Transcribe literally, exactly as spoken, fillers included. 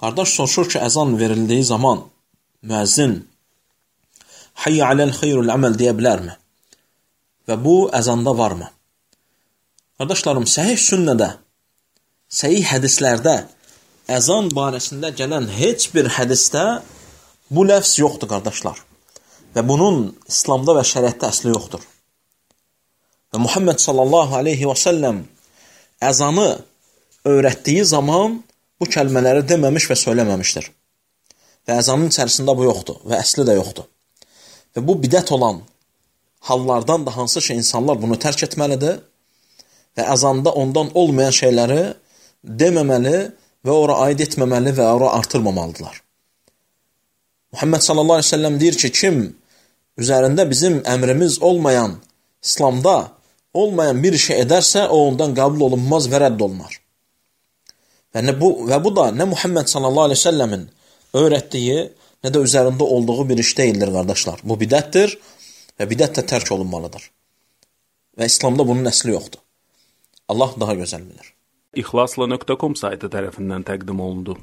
Qardaş soruşur ki, əzan verildiyi zaman müəzzin hayyə aləl xeyrul əməl deyə bilərmi? Və bu əzanda varmı? Qardaşlarım, səhih sünnədə, səhih hədislərdə əzan barəsində gələn heç bir hədisdə bu ləfz yoxdur, qardaşlar. Və bunun İslamda və şəriətdə əsli yoxdur. Və Muhammed sallallahu aleyhi və səlləm əzanı öyrətdiyi zaman bu kəlmələri deməmiş və söyləməmişdir. Və əzanın içərisində bu yoxdur və əsli də yoxdur. Və bu bidət olan hallardan da hansı ki, insanlar bunu tərk etməlidir və əzanda ondan olmayan şeyləri deməməli və ora aid etməməli və ora artırmamalıdırlar. Muhammed sallallahu aleyhi ve sellem deyir ki, kim üzərində bizim əmrimiz olmayan, İslamda olmayan bir şey edərsə, o ondan qəbul olunmaz və rədd olunar. Və, bu, və bu da nə Muhammed sallallahu aleyhi ve sellemin öyrətdiyi, nə də üzərində olduğu bir iş deyildir, qardaşlar. Bu bidətdir və bidət də tərk olunmalıdır. Və İslamda bunun əsli yoxdur. Allah daha gözəl bilir. İxlasla nöqtə com saytı tərəfindən təqdim olundu.